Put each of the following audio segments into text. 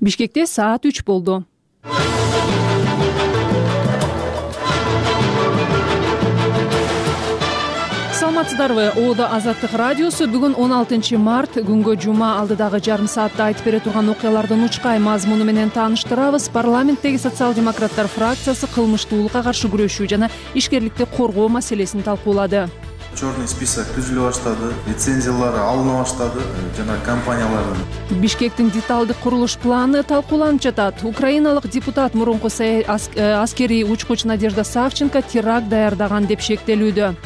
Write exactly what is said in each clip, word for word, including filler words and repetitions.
Бишкекте саат үч болду. Саламатсыздарбы? Оодо Азаттык радиосу бүгүн он алтынчы март күнгө жума алдыдагы жарым саатта айтып бере турган окуялардын учкай мазмуну менен тааныштырабыз. Парламенттеги социал-демократтар фракциясы кылмыштуулукка каршы күрөшүү жана ишкерликти коргоо маселесин талкуулады. Черный список түзүлө баштады, лицензиялары алына баштады жана компаниялардын. Бишкектин деталдык курулуш планы талкууланып жатат. Украиналык депутат мурунку аскерий учкуч Надежда Савченко теракт даярдаган деп шектелүүдө.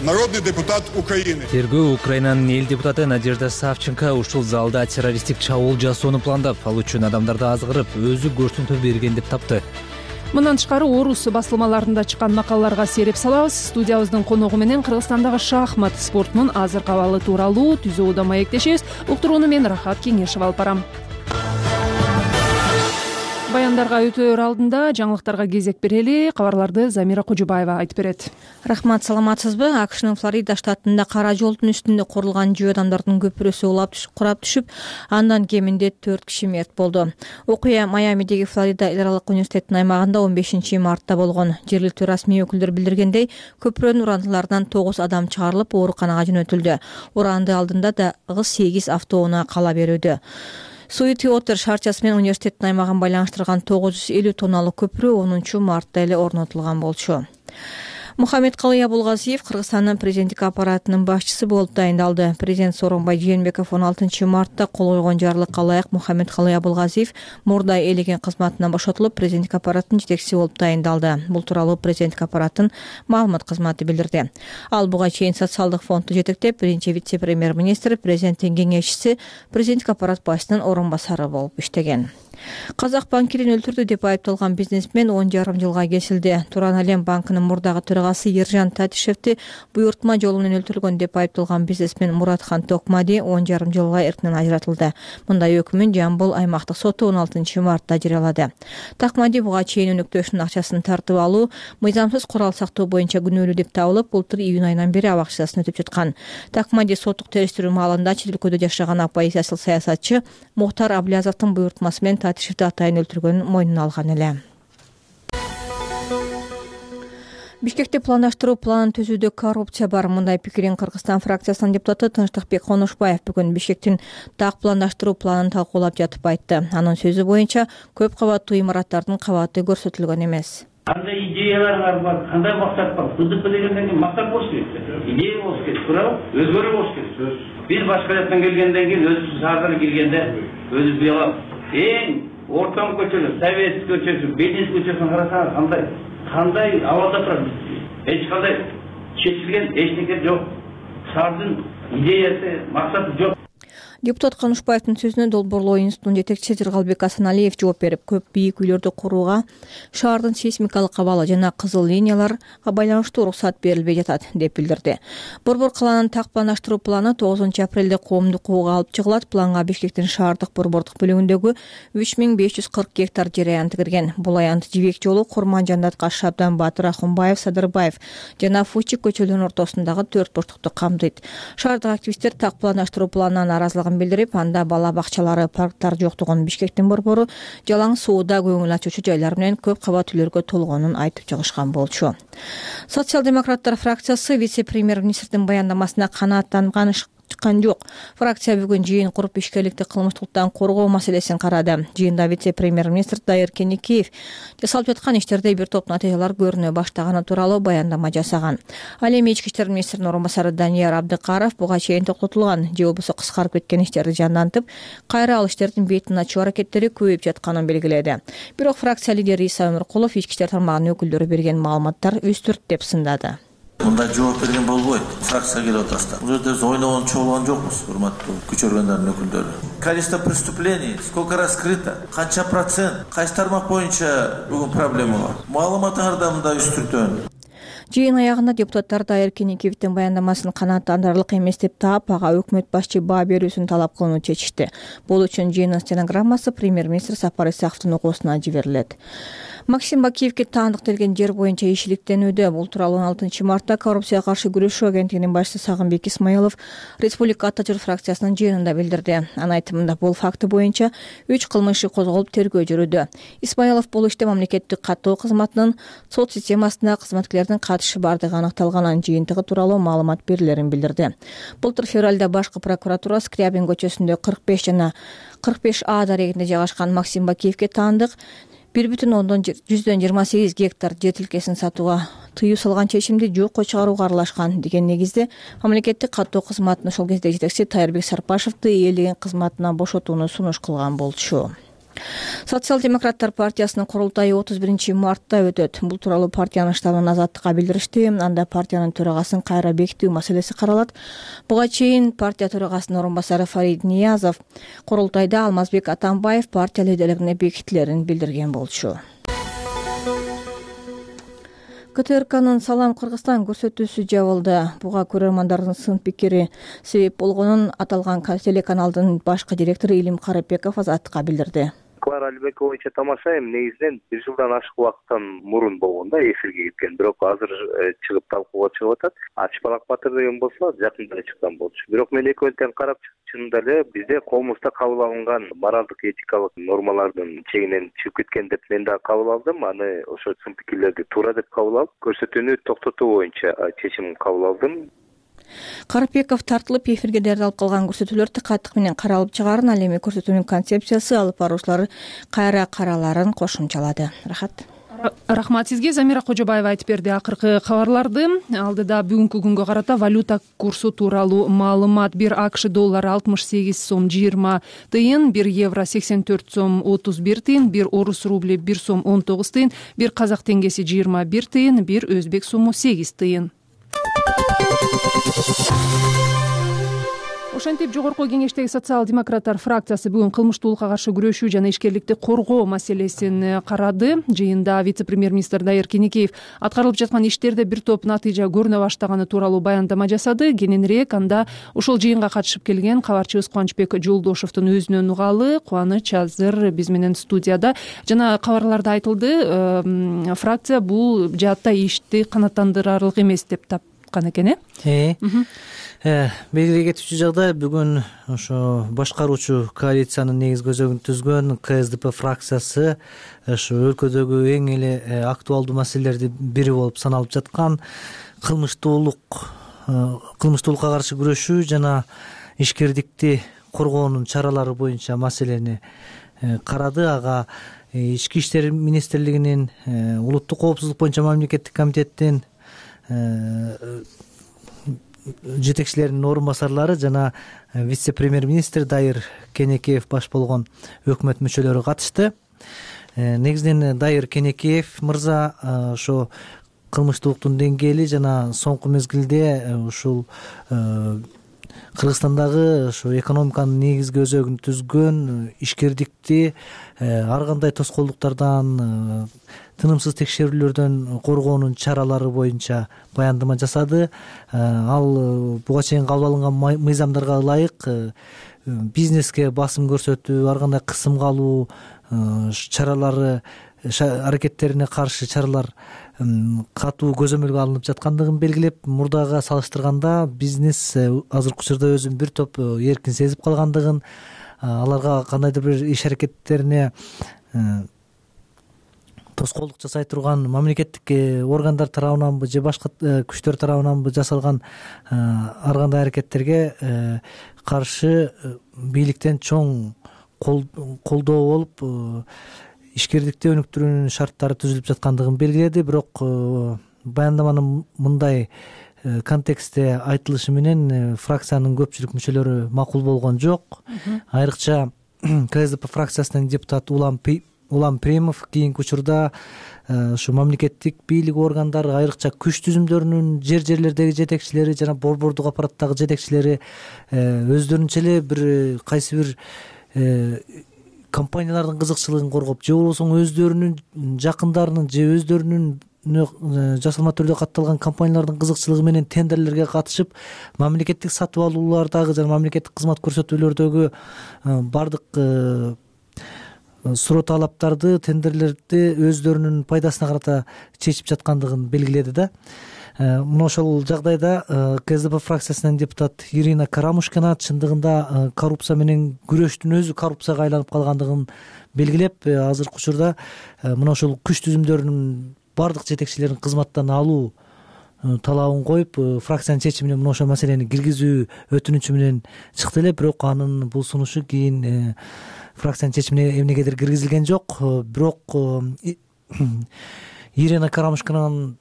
Народный депутат Украины. Тергөө Украинанын эл депутаты Надежда Савченко ушул залда террористтик чабуул жасоону пландап, ал үчүн адамдарды азгырып, өзү көрсөтмө берген деп тапты. Мындан тышкары орус басылмаларында чыккан макалаларга сереп салабыз. Студиябыздын коногу менен Кыргызстандагы шахмат спортунун азыркы абалы тууралуу түзүүдө маектешебиз. Уктурууну мен Рахат Кеңешева алып барам. Баяндарга өтөөр алдында жаңылыктарга кезек берели. Кабарларды Замира Кожубаева айтып берет. Рахмат, саламатсызбы? АКШнын Флорида штатында кара жолдун үстүндө курулган жөө адамдардын көпүрөсү курап түшүп, андан кеминде төрт киши мерт болду. Окуя Майамидеги Флорида эл аралык университетинин аймагында он бешинчи мартта болгон. Жергиликтүү расмий өкүлдөр билдиргендей, көпүрөнүн урандыларынан тогуз адам чыгарылып, ооруканага жөнөтүлдү. Уранды алдында да сегиз автоунаа кала берүүдө. Суитиотер шаарчасы менен университеттин аймагын байланыштырган тогуз жүз элүү тонналык көпүрө онунчу мартта эле орнотулган болчу. Мухаммедкалый Абулгазиев Кыргызстандын президенттик аппаратынын башчысы болуп дайындалды. Президент Сооронбай Жээнбеков он алтынчы мартта кол койгон жарлыкка ылайык Мухаммедкалый Абулгазиев мурда элеген кызматынан бошотулуп, президенттик аппараттын жетекчиси болуп дайындалды. Бул тууралуу президенттик аппараттын маалымат кызматы билдирди. Ал буга чейин социалдык фондду жетектеп, биринчи вице-премьер-министр, президенттин кеңешчиси, президенттик аппарат башчысынын орун басары болуп иштеген. Казак банкирин өлтүрдү деп айыпталган бизнесмен он жарым жылга кесилди. Туран Алем банкынын мурдагы төрагасы Ержан Татишевди буйртма жолу менен өлтүргөн деп айыпталган бизнесмен Муратхан Токмади он жарым жылга эркинен ажыратылды. Мындай өкүмүн Жамбыл аймактык соту он алтынчы мартта жарыялады. Токмади буга чейин өнөктөшүнүн акчасын тартып алуу, мыйзамсыз курал сактоо боюнча күнөөлүү деп табылып, былтыр июнь айынан бери абак жазасын өтүп жаткан. Токмади соттук териштирүү маалында чет өлкөдө жашаган оппозициялык саясатчы Мухтар Аблязовдун буйртмасы менен Татишевди атайын өлтүргөнүн мойнуна алган эле. Бишкекте пландаштыруу планын түзүүдө коррупция бар. Мындай пикирин Кыргызстан фракциясынын депутаты Тынчтыкбек Конушбаев бүгүн Бишкектин так пландаштыруу планын талкуулап жатып айтты. Анын сөзү боюнча көп кабаттуу имараттардын кабаты көрсөтүлгөн эмес. Кандай идеялар бар, кандай максат бар? БДП дегенден кийин максат болуш керек. Идея болуш керек, туурабы? Өзгөрүү болуш керек. Биз башка жактан келгенден кийин өзүбүз шаарга келгенде өзүбүз уялабыз. Эң ортон көчөлөр, Совет көчөсү, Белиз көчөсүн карасаңыз кандай кандай абалда турат. Эч кандай чечилген эчтеке жок. Шаардын идеясы, максаты жок. Депутат Конушбаевдин сөзүнө Долбоорлоо институтунун жетекчиси Жыргалбек Асаналиев жооп берип, көп бийик үйлөрдү курууга шаардын сейсмикалык абалы жана кызыл линияларга байланыштуу уруксат берилбей жатат деп билдирди. Борбор калаанын так пландаштыруу планы тогузунчу апрелде коомдук кууга алып чыгылат. Планга Бишкектин шаардык борбордук бөлүгүндөгү үч миң беш жүз кырк гектар жер аянты кирген. Бул аянт Жибек жолу, Курман-Жандат, Кашшабдан, Батыр, Ахунбаев, Садырбаев жана Фучик көчөлөрүнүн ортосундагы төрт бурчтукту камтыйт. Шаардык активисттер так пландаштыруу планынан нааразылыгын билдирип, анда бала бакчалары, парктар жоктугун, Бишкектин борбору жалаң сууда көңүл ачуучу жайлар менен көп кабат үйлөргө толгонун айтып чыгышкан болчу. Социал-демократтар фракциясы вице-премьер-министрдин баяндамасына канааттанган чыккан жок. Фракция бүгүн жыйын куруп ишкерликти кылмыштуулуктан коргоо маселесин карады. Жыйында вице-премьер-министр Дайыр Кенекеев жасалып жаткан иштерде бир топ натыйжалар көрүнө баштаганы тууралуу баяндама жасаган. Ал эми ички иштер министринин орун басары Данияр Абдыкаров буга чейин токтотулган же болбосо кыскарып кеткен иштерди жандантып, кайра ал иштердин бетин ачуу аракеттери көбөйүп жатканын белгиледи. Бирок фракция лидери Иса Өмүркулов ички иштер тармагынын өкүлдөрү берген маалыматтар үстүрт деп сындады. Мындай жооп берген болбойт. Фракция келип атасыздар. Бул жерде ойногон чогулган жокпуз, урматтуу күч органдарынын өкүлдөрү. Количество преступлений сколько раскрыто, канча процент, кайсы тармак боюнча бүгүн проблема бар. Маалыматтарды да мындай үстүртөн. Жыйын аягында депутаттар Дайыр Кенекеевдин баяндамасын канааттандырарлык эмес деп таап, ага өкмөт башчы баа берүүсүн талап кылууну чечишти. Бул үчүн жыйындын стенограммасы премьер-министр Сапар Исаковдун окуусуна жиберилет. Максим Бакиевге таандык делген жер боюнча ишиликтенүүдө. Бул тууралуу он алтынчы мартта коррупцияга каршы күрөшүү агенттигинин башчысы Сагынбек Исмаилов Республика Ата жер фракциясынын жыйынында билдирди. Анын айтымында бул факты боюнча үч кылмыш иши козголуп тергөө жүрүүдө. Исмаилов бул иште мамлекеттик каттоо кызматынын сот системасында кызматкерлердин катышы бардыгы аныкталганын, жыйынтыгы тууралуу маалымат берилерин билдирди. Былтыр февралда башкы прокуратура Скрябин көчөсүндө кырк беш жана кырк беш А дарегинде жайгашкан Максим Бакиевге таандык бир бүтүн ондон жүздөн жыйырма сегиз гектар жер тилкесин сатууга тыюу салган чечимди жокко чыгарууга аралашкан деген негизде мамлекеттик каттоо кызматынын ошол кездеги жетекчиси Тайырбек Сарпашевди ээлеген кызматынан бошотууну сунуш кылган болчу. Социал-демократтар партиясынын курултайы отуз биринчи мартта өтөт. Бул тууралуу партиянын штабынан Азаттыкка билдиришти. Анда партиянын төрагасын кайра бекитүү маселеси каралат. Буга чейин партия төрагасынын орун басары Фарид Ниязов курултайда Алмазбек Атамбаев партия лидерлигине бекитилерин билдирген болчу. КТРКнын Салам Кыргызстан көрсөтүүсү жабылды. Буга көрөрмандардын сын пикири себеп болгонун аталган телеканалдын башкы директору Илим Карапеков Азаттыкка билдирди. Клара Алибекова боюнча тамашайм, негизинен бир жылдан ашык убакыттан мурун болгон да эфирге кеткен. Бирок азыр чыгып талкууга чыгып атат. Ачпалак Батыр деген болсо жакында чыккан болчу. Бирок мен экөөнтен карап чынында эле бизде коомузда кабыл алынган моралдык этикалык нормалардын чегинен чыгып кеткен деп мен да кабыл алдым. Аны ошо сын пикирлерди туура деп кабыл алып, көрсөтүүнү токтотуу боюнча чечим кабыл алдым. Карапеков тартылып эфирге даярдалып калган көрсөтүүлөр тыкаттык менен каралып чыгарын, ал эми көрсөтүүнүн концепциясы, алып баруучулары кайра караларын кошумчалады. Рахат. Рахмат сизге. Замира Кожобаева айтып берди акыркы кабарларды. Алдыда бүгүнкү күнгө карата валюта курсу тууралуу маалымат: бир АКШ доллары алтымыш сегиз сом жыйырма тыйын, бир евро сексен төрт сом отуз бир тыйын, бир орус рубли бир сом он тогуз тыйын, бир казак теңгеси жыйырма бир тыйын, бир өзбек суму сегиз тыйын. Ошентип жогорку кеңештеги социал-демократтар фракциясы бүгүн кылмыштуулукка каршы күрөшүү жана ишкерликти коргоо маселесин карады. Жыйында вице-премьер-министр Дайыр Кенекеев аткарылып жаткан иштерде бир топ натыйжа көрүнө баштаганы тууралуу баяндама жасады. Кененирээк анда ошол жыйынга катышып келген кабарчыбыз Кубанычбек Жолдошовдун өзүнөн угалы. Кубаныч азыр биз менен студияда. Жана кабарларда айтылды, фракция бул жаатта ишти канааттандырарлык эмес деп тапкан экен, э? Э, белгилей кетүүчү жагдай, бүгүн ошо башкаруучу коалициянын негизги өзөгүн түзгөн Ка Эс Ди Пи фракциясы ошо өлкөдөгү эң эле актуалдуу маселелердин бири болуп саналып жаткан кылмыштуулук, кылмыштуулукка каршы күрөшүү жана ишкердикти коргоонун чаралары боюнча маселени карады. Ага Ички иштер министрлигинин, улуттук коопсуздук боюнча мамлекеттик комитеттин жетекчилеринин орун басарлары жана вице-премьер-министр Дайыр Кенекеев баш болгон өкмөт мүчөлөрү катышты. Негизинен Дайыр Кенекеев мырза ошо кылмыштуулуктун деңгээли жана соңку мезгилде ушул Кыргызстандагы ошо экономиканын негизги өзөгүн түзгөн ишкердикти ар кандай тоскоолдуктардан, тынымсыз текшерүүлөрдөн коргоонун чаралары боюнча баяндама жасады. Ал буга чейин кабыл алынган мыйзамдарга ылайык бизнеске басым көрсөтүү, ар кандай кысымга алуу чаралары, аракеттерине каршы чаралар катуу көзөмөлгө алынып жаткандыгын белгилеп, мурдага салыштырганда бизнес азыркы учурда өзүн бир топ эркин сезип калгандыгын, аларга кандайдыр бир иш аракеттерине тоскоолдук жасай турган мамлекеттик органдар тарабынанбы же башка күчтөр тарабынанбы жасалган ар кандай аракеттерге каршы бийликтен чоң колдоо болуп ишкердикти өнүктүрүүнүн шарттары түзүлүп жаткандыгын белгиледи. Бирок баяндаманын мындай контекстте айтылышы менен фракциянын көпчүлүк мүчөлөрү макул болгон жок. Айрыкча Ка Эс Ди Пи фракциясынын депутаты Улам Улам Премов кийинки учурда ушу мамлекеттик бийлик органдары, айрыкча күч түзүмдөрүнүн жер жерлердеги жетекчилери жана борбордук аппараттагы жетекчилери өздөрүнчө эле бир кайсы бир компаниялардын кызыкчылыгын коргоп, же болбосо өздөрүнүн жакындарынын же өздөрүнүн жасалма түрдө катталган компаниялардын кызыкчылыгы менен тендерлерге катышып мамлекеттик сатып алуулардагы жана мамлекеттик кызмат көрсөтүүлөрдөгү бардык суроо талаптарды тендерлерди өздөрүнүн пайдасына карата чечип жаткандыгын белгиледи да. Мына ошол жагдайда КСДП фракциясынын депутат Ирина Карамушкина чындыгында коррупция менен күрөштүн өзү коррупцияга айланып калгандыгын белгилеп, азыркы учурда мына ошол күч түзүмдөрүнүн бардык жетекчилерин кызматтан алуу талабын коюп, фракциянын чечимине мына ошол маселени киргизүү өтүнүчү менен чыкты эле. Бирок анын бул сунушу кийин фракциянын чечимине эмнегедир киргизилген жок. Бирок Ирина Карамушкинанын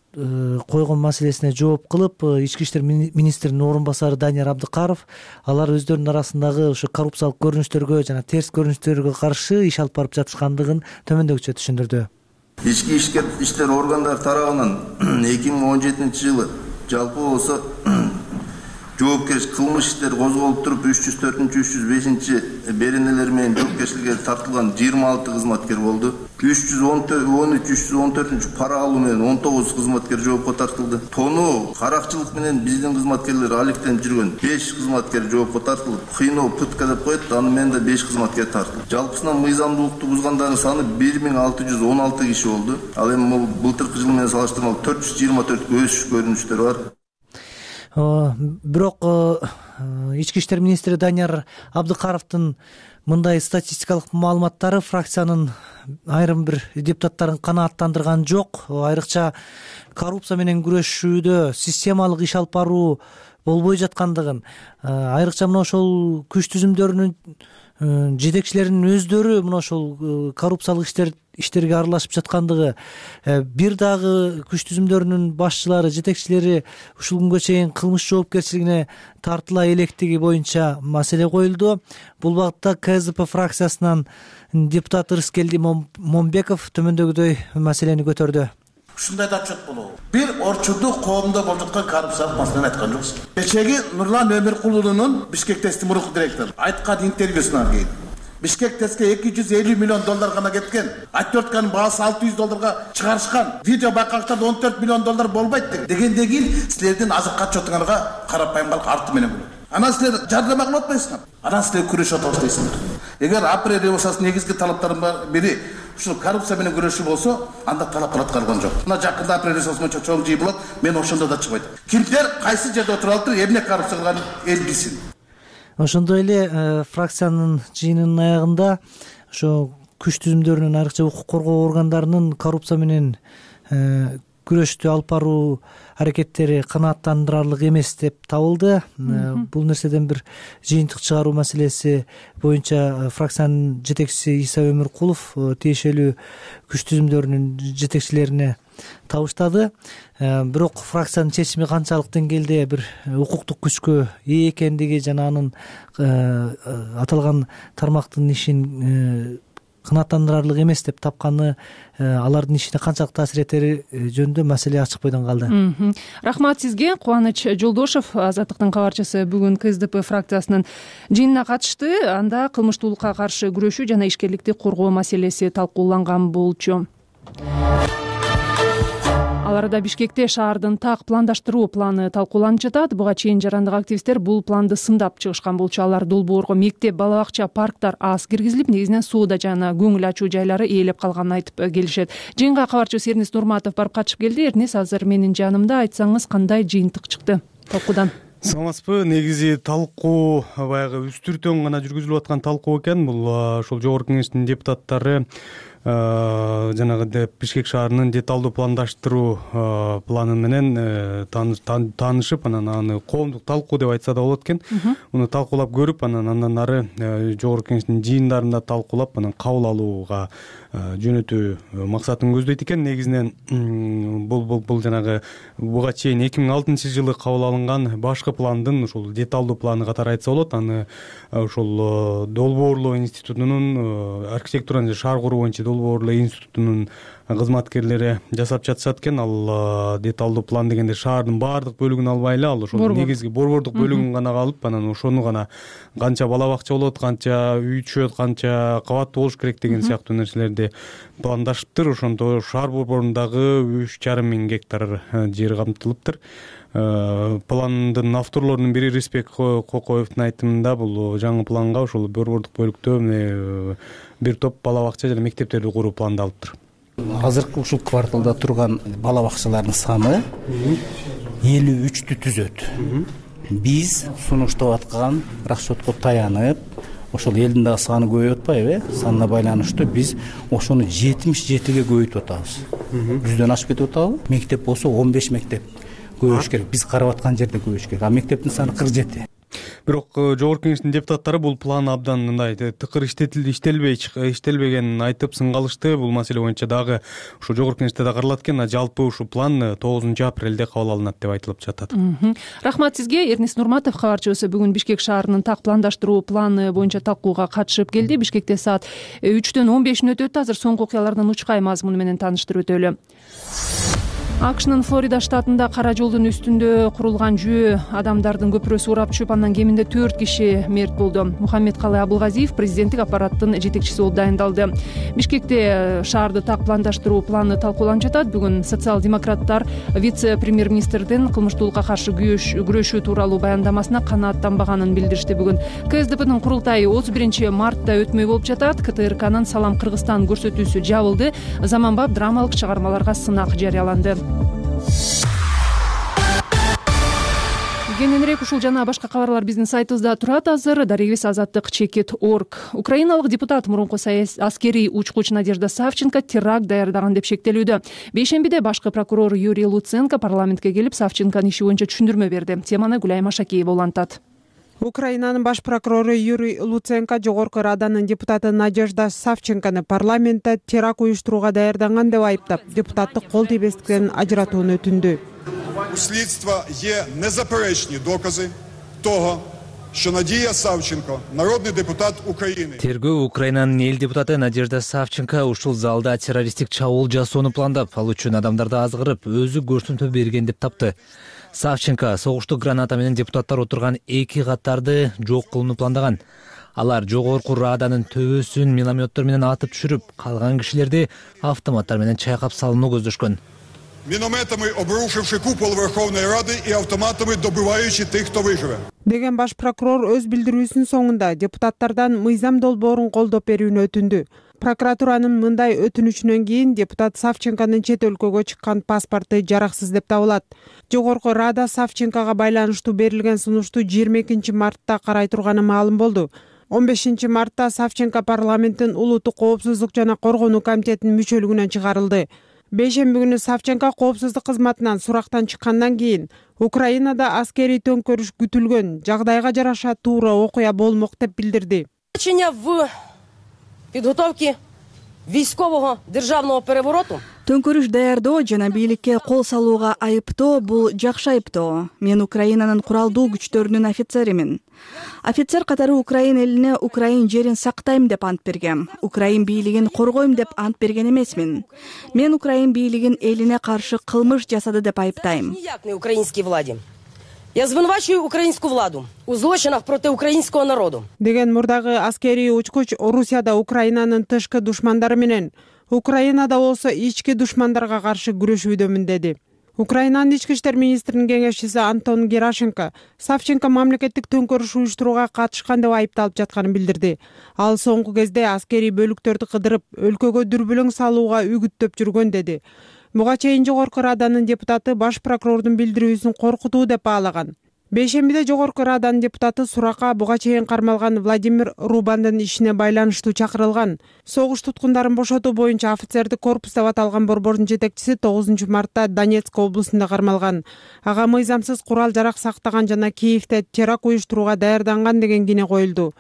койгон маселесине жооп кылып, ички иштер министринин орун басары Данияр Абдыкаров алар өздөрүнүн арасындагы ошо коррупциялык көрүнүштөргө жана терс көрүнүштөргө каршы иш алып барып жатышкандыгын төмөндөгүчө түшүндүрдү. Ички иштер органдары тарабынан эки миң он жетинчи жылы жалпы болсо жоопкерчилик кылмыш иштери козголуп туруп үч жүз төртүнчү үч жүз бешинчи беренелер менен жоопкерчиликке тартылган жыйырма алты кызматкер болду. үч жүз он үч үч жүз он төртүнчү пара алуу менен он тогуз кызматкер жоопко тартылды. Тоноо, каракчылык менен биздин кызматкерлер алектенип жүргөн беш кызматкер жоопко тартылып, кыйноо, пытка деп коет, аны менен да беш кызматкер тартылды. Жалпысынан мыйзамдуулукту бузгандардын саны бир миң алты жүз он алты киши болду. Ал эми былтыркы жыл менен салыштырмалуу төрт жүз жыйырма төрт өсүш көрүнүштөр бар. Бирок ички иштер министри Данияр Абдыкаровдун мындай статистикалык маалыматтары фракциянын айрым бир депутаттарын канааттандырган жок. Айрыкча коррупция менен күрөшүүдө системалык иш алып баруу болбой жаткандыгын, айрыкча мына ошол күч түзүмдөрүнүн жетекчилеринин өздөрү мына ошол коррупциялык иштер иштерге аралашып жаткандыгы, бир дагы күч түзүмдөрүнүн башчылары, жетекчилери ушул күнгө чейин кылмыш жоопкерчилигине тартыла электиги боюнча маселе коюлду. Бул багытта КСДП фракциясынан депутат Ырыскелди Момбеков төмөндөгүдөй маселени көтөрдү. Ушундай да отчет болобу. Бир орчундук коомдо болуп жаткан коррупциялык маселени айткан жоксуз. Кечеги Нурлан Өмүркулунун Бишкек ТЭСтин мурунку директору айткан интервьюсунан кийин Бишкек ТЭСке эки жүз элүү миллион доллар гана кеткен. Отвертканын баасы алты жүз долларга чыгарышкан. Видео байкагычтарда он төрт миллион доллар болбойт дегенден кийин силердин азыркы отчетуңарга карапайым калк арты менен болот. Анан силер жардама кылып атпайсыңар. Анан силер күрөшүп атабыз дейсиңер. Эгер апрель революциясынын негизги талаптарынын бири ушул коррупция менен күрөшүү болсо, анда талаптар аткарылган жок. Мына жакында апрель революциясы боюнча чоң жыйын болот, мен ошондо да чыкпайт. Кимдер кайсы жерде отуруп алыптыр, эмне коррупция кылганын эл билсин. Ошондой эле фракциянын жыйынынын аягында ошо күч түзүмдөрүнүн, айрыкча укук коргоо органдарынын коррупция менен күрөштү алып баруу аракеттери канааттандырарлык эмес деп табылды. Бул нерседен бир жыйынтык чыгаруу маселеси боюнча фракциянын жетекчиси Иса Өмүркулов тиешелүү күч түзүмдөрүнүн жетекчилерине табыштады. Бирок фракциянын чечими канчалык деңгээлде бир укуктук күчкө ээ экендиги жана анын аталган тармактын ишин канааттандырарлык эмес деп тапканы, алардын ишине канчалык таасир этери жөнүндө маселе ачык бойдон калды. Рахмат сизге. Кубаныч Жолдошов, Азаттыктын кабарчысы, бүгүн КСДП фракциясынын жыйынына катышты. Анда кылмыштуулукка каршы күрөшүү жана ишкерликти коргоо маселеси талкууланган болчу. Ал арада Бишкекте шаардын так пландаштыруу планы талкууланып жатат. Буга чейин жарандык активисттер бул планды сындап чыгышкан болчу. Алар долбоорго мектеп, бала бакча, парктар аз киргизилип, негизинен сууда жана көңүл ачуу жайлары ээлеп калганын айтып келишет. Жыйынга кабарчыбыз Эрнис Нурматов барып катышып келди. Эрнис, азыр менин жанымда. Айтсаңыз, кандай жыйынтык чыкты талкуудан? Саламатсызбы? Негизи талкуу баягы үстүртөн гана жүргүзүлүп аткан талкуу экен. Бул ошол жогорку кеңештин депутаттары жанагы Бишкек шаарынын деталдуу пландаштыруу планы менен таанышып, анан аны коомдук талкуу деп айтса да болот экен. Муну талкуулап көрүп, анан андан ары жогорку кеңештин жыйындарында талкуулап, анан кабыл алууга жөнөтүү максатын көздөйт экен. Негизинен бул бул бул жанагы буга чейин эки миң алтынчы жылы кабыл алынган башкы пландын ушул деталдуу планы катары айтса болот. Аны ушул долбоорлоо институтунун архитектура жана шаар куруу боюнча долбоорлор институтунун кызматкерлери жасап жатышат экен. Ал деталдуу план дегенде шаардын баардык бөлүгүн албай эле, ал ошол негизги борбордук бөлүгүн гана алып, анан ошону гана канча бала бакча болот, канча үй түшөт, канча кабаттуу болуш керек деген сыяктуу нерселерди пландашыптыр. Ошондо шаар борборундагы үч жарым миң гектар жер камтылыптыр. Пландын авторлорунун бири Рыспек Кокоевдун айтымында бул жаңы планга ошол борбордук бөлүктө бир топ бала бакча жана мектептерди куруу пландалыптыр. Азыркы ушул кварталда турган бала бакчалардын саны элүү үчтү түзөт. Биз сунуштап аткан расчетко таянып, ошол элдин дагы саны көбөйүп атпайбы? Санына байланыштуу биз ошону жетимиш жетиге көбөйтүп атабыз. Жүздөн ашып кетип атабы? Мектеп болсо он беш мектеп көбөйүш керек. Биз карап аткан жерде көбөйүш керек. А мектептин саны кырк жети. Бирок жогорку кеңештин депутаттары бул план абдан мындай тыкыр иштелбей иштелбегенин айтып сынгалышты. Бул маселе боюнча дагы ушу жогорку кеңеште да каралат экен. Жалпы ушул план тогузунчу апрелде кабыл алынат деп айтылып жатат. Рахмат сизге. Эрнис Нурматов, кабарчыбыз, бүгүн Бишкек шаарынын так пландаштыруу планы боюнча талкууга катышып келди. Бишкекте саат үчтөн он бешине өтөт. Азыр соңку окуялардын учкай мазмуну менен тааныштырып өтөлү. АКШнын Флорида штатында кара жолдун үстүндө курулган жөө адамдардын көпүрөсү урап түшүп, андан кеминде төрт киши мерт болду. Мухаммед Калай Абылгазиев президенттик аппараттын жетекчиси болуп дайындалды. Бишкекте шаарды так пландаштыруу планы талкууланып жатат. Бүгүн социал-демократтар вице-премьер-министрдин кылмыштуулукка каршы күрөшүү тууралуу баяндамасына канааттанбаганын билдиришти. Бүгүн КСДПнын курултайы отуз биринчи мартта өтмөй болуп жатат. КТРКнын Салам Кыргызстан көрсөтүүсү жабылды. Заманбап драмалык чыгармаларга сынак жарыяланды. Кененирээк ушул жана башка кабарлар биздин сайтыбызда турат азыр. Дарегибиз азаттык чекит точка орг. Украиналык депутат мурунку аскерий учкуч Надежда Савченко теракт даярдаган деп шектелүүдө. Бейшембиде башкы прокурор Юрий Луценко парламентке келип Савченконун иши боюнча түшүндүрмө берди. Теманы Гүлай Машакиева улантат. Украинанын баш прокурору Юрий Луценко Жогорку Раданын депутаты Надежда Савченкону парламентте теракт уюштурууга даярданган деп айыптап, депутаттык кол тийбестиктен ажыратууну өтүндү. У слідства є незаперечні докази того, що Надія Савченко, народний депутат України. Тергөө Украинанын эл депутаты Надежда Савченко ушул залда террористтик чабуул жасоону пландап, ал үчүн адамдарды азгырып, өзү көрсөтмө берген деп тапты. Савченко согуштук граната менен депутаттар отурган эки каттарды жок кылууну пландаган. Алар Жогорку Раданын төбөсүн минометтор менен атып түшүрүп, калган кишилерди автоматтар менен чайкап салууну көздөшкөн. Мінометами обрушивши купол Верховної Ради і автоматами добиваючи тих, хто виживе. Деген баш прокурор өз билдирүүсүнүн соңунда депутаттардан мыйзам долбоорун колдоп берүүнү өтүндү. Прокуратуранын мындай өтүнүчүнөн кийин депутат Савченконун чет өлкөгө чыккан паспорту жараксыз деп табылат. Жогорку Рада Савченкого байланыштуу берилген сунушту жыйырма экинчи мартта карай турганы маалым болду. он бешинчи мартта Савченко парламенттин улуттук коопсуздук жана коргонуу комитетинин мүчөлүгүнөн чыгарылды. Бейшемби күнү Савченко коопсуздук кызматынан сурактан чыккандан кийин Украинада аскерий төңкөрүш күтүлгөн, жагдайга жараша туура окуя болмок деп билдирди. В підготовки військового державного перевороту Төңкөрүш даярдоо жана бийликке кол салууга айыптоо бул жакшы айыптоо. Мен Украинанын куралдуу күчтөрүнүн офицеримин. Офицер катары Украин элине Украин жерин сактайм деп ант бергем. Украин бийлигин коргойм деп ант берген эмесмин. Мен Украин бийлигин элине каршы кылмыш жасады деп айыптайм. Ніяк не українській владі. Я звинувачую українську владу у злочинах проти українського народу. Деген мурдагы аскерий учкуч Орусияда Украинанын тышкы душмандары менен, Украинада болсо ички душмандарга каршы күрөшүүдөмүн деди. Украинанын ички иштер министринин кеңешчиси Антон Герашенко Савченко мамлекеттик төңкөрүш уюштурууга катышкан деп айыпталып жатканын билдирди. Ал соңку кезде аскерий бөлүктөрдү кыдырып, өлкөгө дүрбүлөң салууга үгүттөп жүргөн деди. Буга чейин Жогорку Раданын депутаты баш прокурордун билдирүүсүн коркутуу деп баалаган. Бейшембиде Жогорку Раданын депутаты суракка буга чейин кармалган Владимир Рубандын ишине байланыштуу чакырылган. Согуш туткундарын бошотуу боюнча офицердик корпус деп аталган борбордун жетекчиси тогузунчу мартта Донецк облусунда кармалган. Ага мыйзамсыз курал жарак сактаган жана Киевде теракт уюштурууга даярданган деген кине коюлду.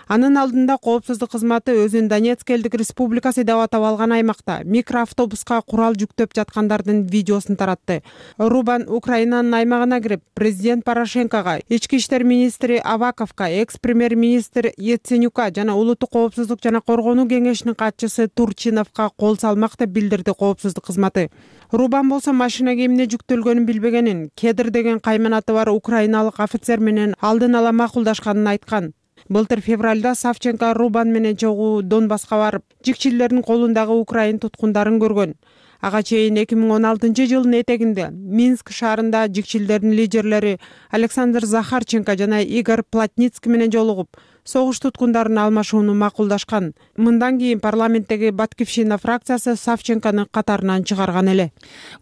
Анын алдында коопсуздук кызматы өзүн Донецк элдик республикасы деп атап алган аймакта микроавтобуска курал жүктөп жаткандардын видеосун таратты. Рубан Украинанын аймагына кирип, президент Порошенкого, ички иштер министри Аваковго, экс-премьер-министр Яценюка жана улуттук коопсуздук жана коргонуу кеңешинин катчысы Турчиновго кол салмак деп билдирди коопсуздук кызматы. Рубан болсо машина кийимине жүктөлгөнүн билбегенин, Кедр деген кайманаты бар украиналык офицер менен алдын ала макулдашканын айткан. Былтыр февралда Савченко Рубан менен чогуу Донбасска барып, жикчилердин колундагы украин туткундарын көргөн. Ага чейин эки миң он алтынчы жылдын этегинде Минск шаарында жикчилердин лидерлери Александр Захарченко жана Игорь Плотницкий менен жолугуп, согуш туткундарын алмашууну макулдашкан. Мындан кийин парламенттеги Батькивщина фракциясы Савченкону катарынан чыгарган эле.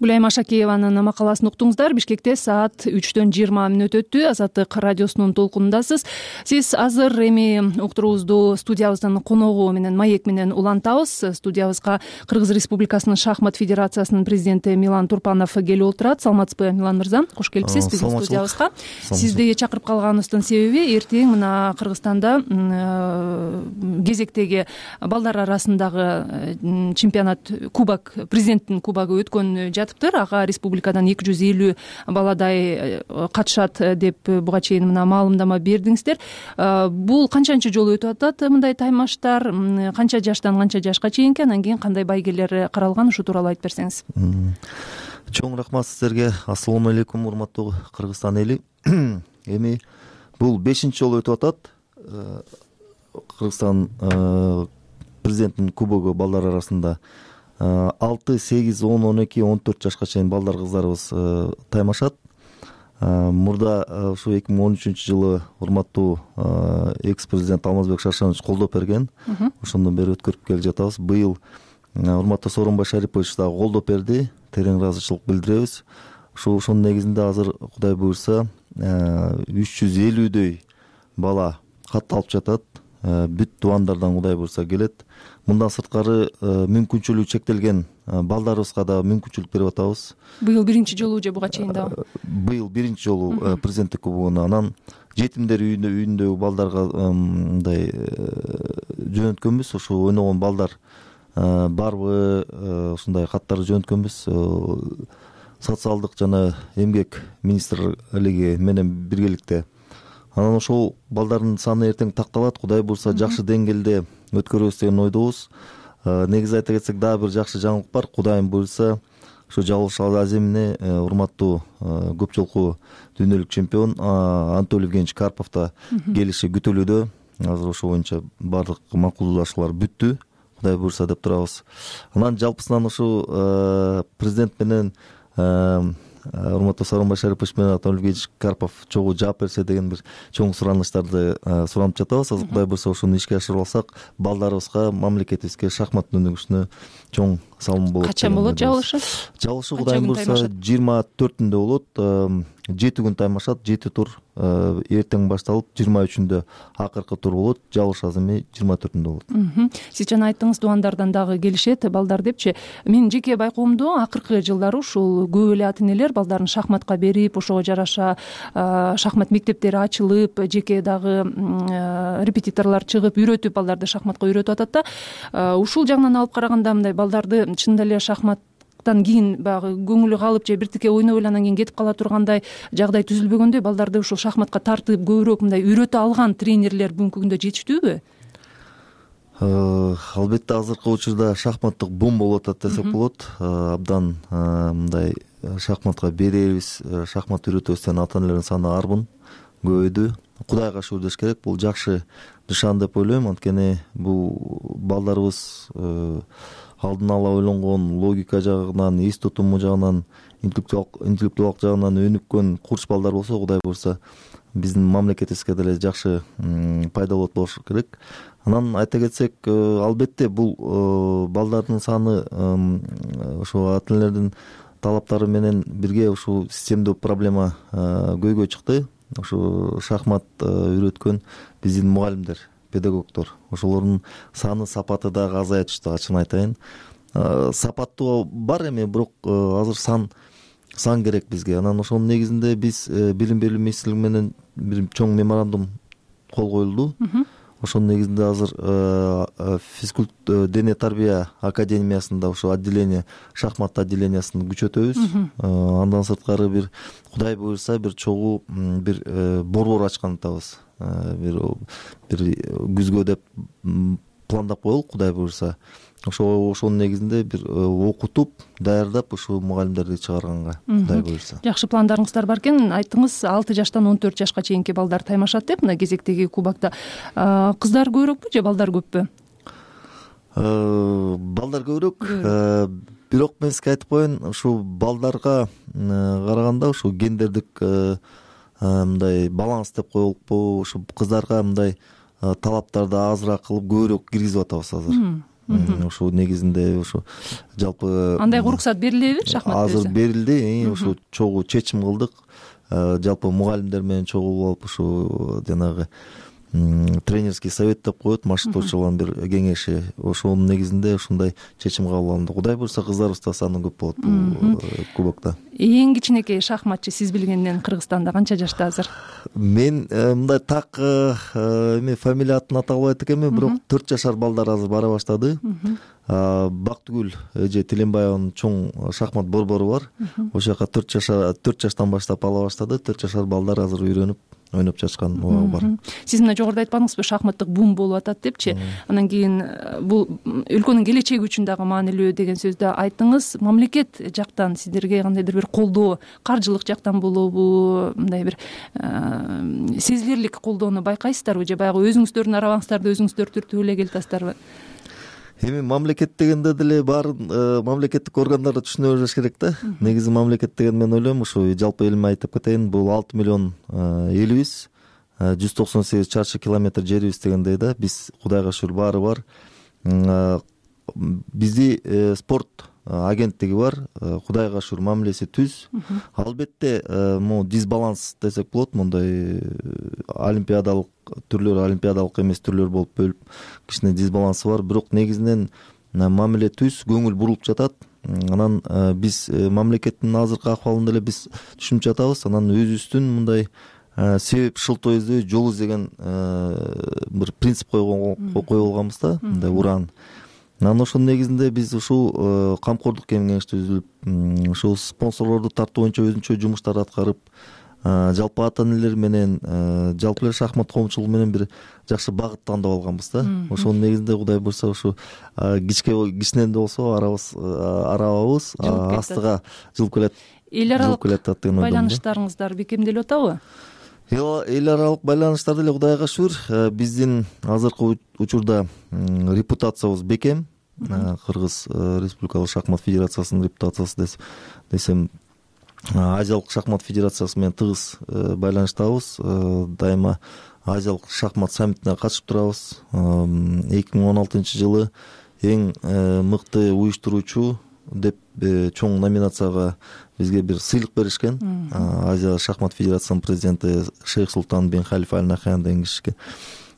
Гүлайым Ашакиеванын макаласын уктуңуздар. Бишкекте саат үчтөн жыйырма мүнөт өттү. Азаттык радиосунун толкунундасыз. Сиз азыр эми уктуруубузду студиябыздын коногу менен маек менен улантабыз. Студиябызга Кыргыз Республикасынын шахмат федерациясынын президенти Милан Турпанов келип отурат. Саламатсызбы, Милан мырза? Кош келипсиз биздин студиябызга. Сизди чакырып калганыбыздын себеби эртең мына Кыргызстанда кезектеги балдар арасындагы чемпионат кубок, президенттин кубогу өткөн жатыптыр. Ага республикадан эки жүз элүү баладай катышат деп буга чейин мына маалымдама бердиңиздер. Бул канчанчы жолу өтүп атат мындай таймаштар? Канча жаштан канча жашка чейинки, анан кийин кандай байгелер каралган, ушу тууралуу айтып берсеңиз. Чоң рахмат сиздерге. Ассалому алейкум, урматтуу Кыргызстан эли. Эми бул бешинчи жолу өтүп атат. Кыргызстан президенттин кубогу балдар арасында алты, сегиз, он, он эки, он төрт жашка чейин балдар кыздарыбыз таймашат. Мурда ушу эки миң он үчүнчү жылы урматтуу экс-президент Алмазбек Шаршенович колдоп берген. Ошондон бери өткөрүп келе жатабыз. Быйыл урматтуу Сооронбай Шарипович дагы колдоп берди. Терең ыраазычылык билдиребиз. Ушу ошонун негизинде азыр Кудай буйрса үч жүз элүүдөй бала кат алып жатат. Бүт тубандардан Кудай буйрса келет. Мындан сырткары мүмкүнчүлүгү чектелген балдарыбызга да мүмкүнчүлүк берип атабыз. Быйыл биринчи жолу же буга чейин дагы? Быйыл биринчи жолу президенттик кубогуна. Анан жетимдер үйүндө үйүндөгү балдарга мындай жөнөткөнбүз. Ошо ойногон балдар барбы, ушундай каттарды жөнөткөнбүз. Социалдык жана эмгек министрлиги менен биргеликте. Анан ошол балдардын саны эртең такталат. Кудай буйрса жакшы деңгээлде өткөрөбүз деген ойдобуз. Негизи айта кетсек, дагы бир жакшы жаңылык бар. Кудайым буйрса ушу Жалыш Аземине урматтуу көп жолку дүйнөлүк чемпион Анатолий Евгеньевич Карпов да келиши күтүлүүдө. Азыр ошо боюнча баардык макулдашуулар бүттү. Кудай буйрса деп турабыз. Анан жалпысынан ушу президент менен урматтуу Сооронбай Шарипович менен Анатолий Евгеньевич Карпов чогуу жаап берсе деген бир чоң суранычтарды суранып жатабыз. Азыр Кудай буйрса ошону ишке ашырып алсак, балдарыбызга, мамлекетибизге шахмат өнүгүшүнө чоң салым болот. Качан болот жабылышы? Жабылышы Кудайым буйрса жыйырма төртүндө болот. жети күн таймашат, жети тур эртең башталып, жыйырма үчүндө акыркы тур болот. Жалыш Аземи жыйырма төртүндө болот. Сиз жана айттыңыз, тубандардан дагы келишет балдар депчи. Менин жеке байкоомдо акыркы жылдары ушул көп эле ата энелер балдарын шахматка берип, ошого жараша шахмат мектептери ачылып, жеке дагы репетиторлор чыгып, үйрөтүп балдарды шахматка үйрөтүп атат да. Ушул жагынан алып караганда мындай балдарды чынында эле шахмат кийин баягы көңүлү калып же биртике ойноп эле анан кийин кетип кала тургандай жагдай түзүлбөгөндө, балдарды ушул шахматка тартып көбүрөөк мындай үйрөтө алган тренерлер бүгүнкү күндө жетиштүүбү? Албетте азыркы учурда шахматтык бум болуп атат десек болот. Абдан мындай шахматка беребиз, шахмат үйрөтөбүз ата энелердин саны арбын, көбөйдү. Кудайга шүгүр деш керек. Бул жакшы нышан деп ойлойм. Анткени бул балдарыбыз алдын ала ойлонгон, логика жагынан, эс тутуму жагынан, интеллектуалдык жагынан өнүккөн курч балдар болсо, Кудай буйрса биздин мамлекетибизге деле жакшы пайдалуу болуш керек. Анан айта кетсек, албетте бул балдардын саны ошо ата энелердин талаптары менен бирге ушул системдүү проблема көйгөй чыкты. Ошо шахмат үйрөткөн биздин мугалимдер, педагогдор, ошолордун саны, сапаты дагы азая түштү, ачыгын айтайын. Сапаттуу бар эми, бирок азыр сан сан керек бизге. Анан ошонун негизинде биз билим берүү министрлиги менен бир чоң меморандум кол коюлду. ошонун негизинде азыр физкульт дене тарбия академиясында ошо отделение шахмат отделениясын күчөтөбүз. Андан сырткары бир Кудай буйрса бир чогуу бир борбор ачкан атабыз. Бир бир күзгө деп пландап коелук, Кудай буйрса. Ошо ошонун негизинде бир окутуп, даярдап ушу мугалимдерди чыгарганга Кудай буйрса. Жакшы пландарыңыздар бар экен. Айттыңыз алты жаштан он төрт жашка чейинки балдар таймашат деп мына кезектеги кубокто. Кыздар көбүрөкпү же балдар көппү? Балдар көбүрөөк. Бирок мен сизге айтып коеюн, ушу балдарга караганда ушу гендердик мындай баланс деп коелукпу, ушу кыздарга мындай талаптарды азыраак кылып көбүрөөк киргизип атабыз азыр. Ошо негизинде ошо жалпы андай уруксат берилеби шахмат? Азыр берилди, ошо чогуу чечим кылдык. Жалпы мугалимдер менен чогуу болуп ошо жанагы тренерский совет деп коет, машыктоочулардын бир кеңеши. Ошонун негизинде ушундай чечим кабыл алынды. Кудай буйрса кыздарыбыз да саны көп болот бул кубокто. Эң кичинекей шахматчы сиз билгенден Кыргызстанда канча жашта азыр? Мен мындай так эме фамилия атын ата албайт экенмин, бирок төрт жашар балдар азыр бара баштады. Бактыгүл эже Тиленбаеванын чоң шахмат борбору бар. Ошол жака төрт жашар төрт жаштан баштап ала баштады. төрт жашар балдар азыр үйрөнүп ойноп жатышкан убагы бар. Сиз мына жогоруда айткандыңызбы, шахматтык бум болуп атат депчи. Анан кийин бул өлкөнүн келечеги үчүн дагы маанилүү деген сөздү айттыңыз. Мамлекет жактан сиздерге кандайдыр бир колдоо, каржылык жактан болобу, мындай бир сезилирлик колдоону байкайсыздарбы же баягы өзүңүздөрдүн арабаңыздарды өзүңүздөр түртүп эле келатасыздарбы? Эми мамлекет дегенде деле баарын мамлекеттик органдар түшүнө бериш керек да. Негизи мамлекет деген мен ойлойм, ушу жалпы элиме айтып кетейин, бул алты миллион элибиз, жүз токсон сегиз чарчы километр жерибиз дегендей да. Биз Кудайга шүгүр баары бар. Бизди спорт агенттиги бар, Кудайга шүгүр мамилеси түз. Албетте, могу дисбаланс десек болот, мондай олимпиадалык түрлөр, олимпиадалык эмес түрлөр болуп бөлүп кичине дисбалансы бар, бирок негизинен мамиле түз, көңүл бурулуп жатат. Анан биз мамлекеттин азыркы акыбалын деле биз түшүнүп жатабыз. Анан өзүбүздүн мындай себеп шылтоо издөө, жол издеген бир принцип койгон койгонбуз да, мындай уран. Анан ошонун негизинде биз ушул камкордук кеңеш түзүлүп, ушул спонсорлорду тартуу боюнча өзүнчө жумуштар аткарып, жалпы ата энелер менен, жалпы эле шахмат коомчулугу менен бир жакшы багыт тандап алганбыз да. Ошонун негизинде Кудай буйрса ушу кичке кичинен да болсо арабыз арабабыз астыга жылып келет. Эл аралык байланыштарыңыздар бекемделип атабы? Эл аралык байланыштар деле Кудайга шүгүр, биздин азыркы учурда репутациябыз бекем. Кыргыз Республикалык шахмат федерациясынын репутациясы десем, Азиялык шахмат федерациясы менен тыгыз байланыштабыз. Дайыма Азиялык шахмат саммитине катышып турабыз. эки миң он алтынчы жылы эң мыкты уюштуруучу деп чоң номинацияга бизге бир сыйлык беришкен. Азия шахмат федерациясынын президенти Шейх Султан бен Халифа Аль Нахян деген кишиге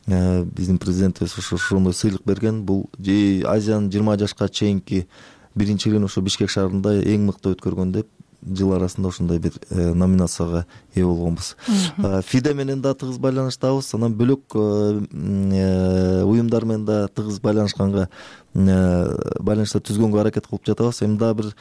биздин президентибиз ошондой сыйлык берген. Бул Азиянын жыйырма жашка чейинки биринчилигин ошо Бишкек шаарында эң мыкты өткөргөн деп жыл арасында ошондой бир номинацияга ээ болгонбуз. ФИДЕ менен да тыгыз байланыштабыз. Анан бөлөк уюмдар менен да тыгыз байланышканга байланыштар түзгөнгө аракет кылып жатабыз. Эми дагы бир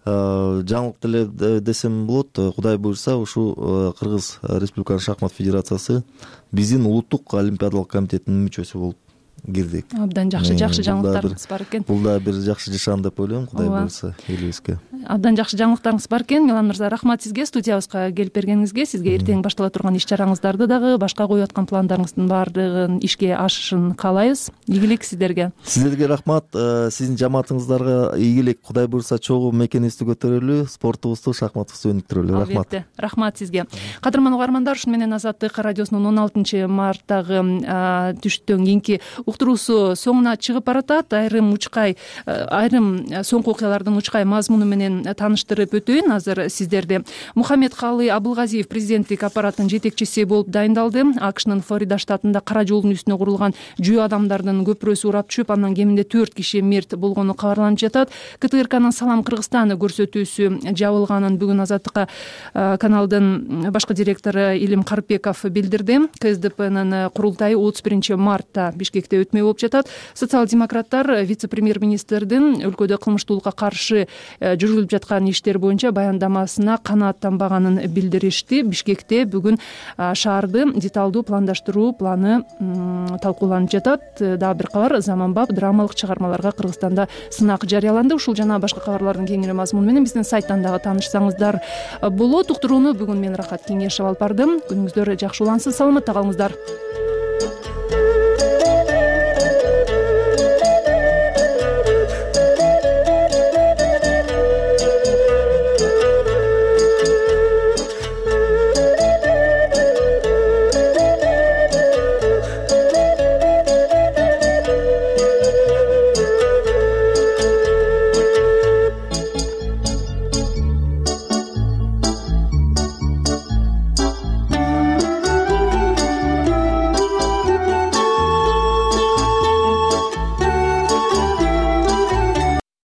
жаңылык деле десем болот. Кудай буйрса ушул Кыргыз Республикалык шахмат федерациясы биздин улуттук олимпиадалык комитетинин мүчөсү болуп кирдик. Абдан жакшы жакшы жаңылыктарыңыз бар экен. Бул да бир жакшы жашан деп ойлойм, Кудай буйрса элибизге. Абдан жакшы жаңылыктарыңыз бар экен. Милан мырза, рахмат сизге студиябызга келип бергениңизге. Сизге эртең баштала турган иш чараңыздарды дагы, башка коюп аткан пландарыңыздын баардыгын ишке ашышын каалайбыз. Ийгилик сиздерге. Сиздерге рахмат. Сиздин жамаатыңыздарга ийгилик. Кудай буйрса чогуу мекенибизди көтөрөлү, спортубузду, шахматыбызды өнүктүрөлү. Рахмат. Албетте. Рахмат сизге. Кадырман угармандар, ушуну менен Азаттык радиосунун он алтынчы марттагы түштөн кийинки уктуруусу соңуна чыгып баратат. Айрым учкай айрым соңку окуялардын учкай мазмуну менен тааныштырып өтөйүн азыр сиздерди. Мухаммедкалый Абылгазиев президенттик аппараттын жетекчиси болуп дайындалды. АКШнын Флорида штатында кара жолдун үстүнө курулган жөө адамдардын көпүрөсү урап түшүп, андан кеминде төрт киши мерт болгону кабарланып жатат. КТРКнын Салам Кыргызстан көрсөтүүсү жабылганын бүгүн Азаттыкка каналдын башкы директору Илим Карпеков билдирди. КСДПнын курултайы отуз биринчи мартта Бишкекте өтмөй болуп жатат. Социал-демократтар вице-премьер-министрдин өлкөдө кылмыштуулукка каршы жүргүзүлүп жаткан иштер боюнча баяндамасына канааттанбаганын билдиришти. Бишкекте бүгүн шаарды деталдуу пландаштыруу планы талкууланып жатат. Дагы бир кабар, заманбап драмалык чыгармаларга Кыргызстанда сынак жарыяланды. Ушул жана башка кабарлардын кеңири мазмуну менен биздин сайттан дагы таанышсаңыздар болот. Уктурууну бүгүн мен Рахат Кеңешев алып бардым. Күнүңүздөр жакшы улансын, саламатта калыңыздар.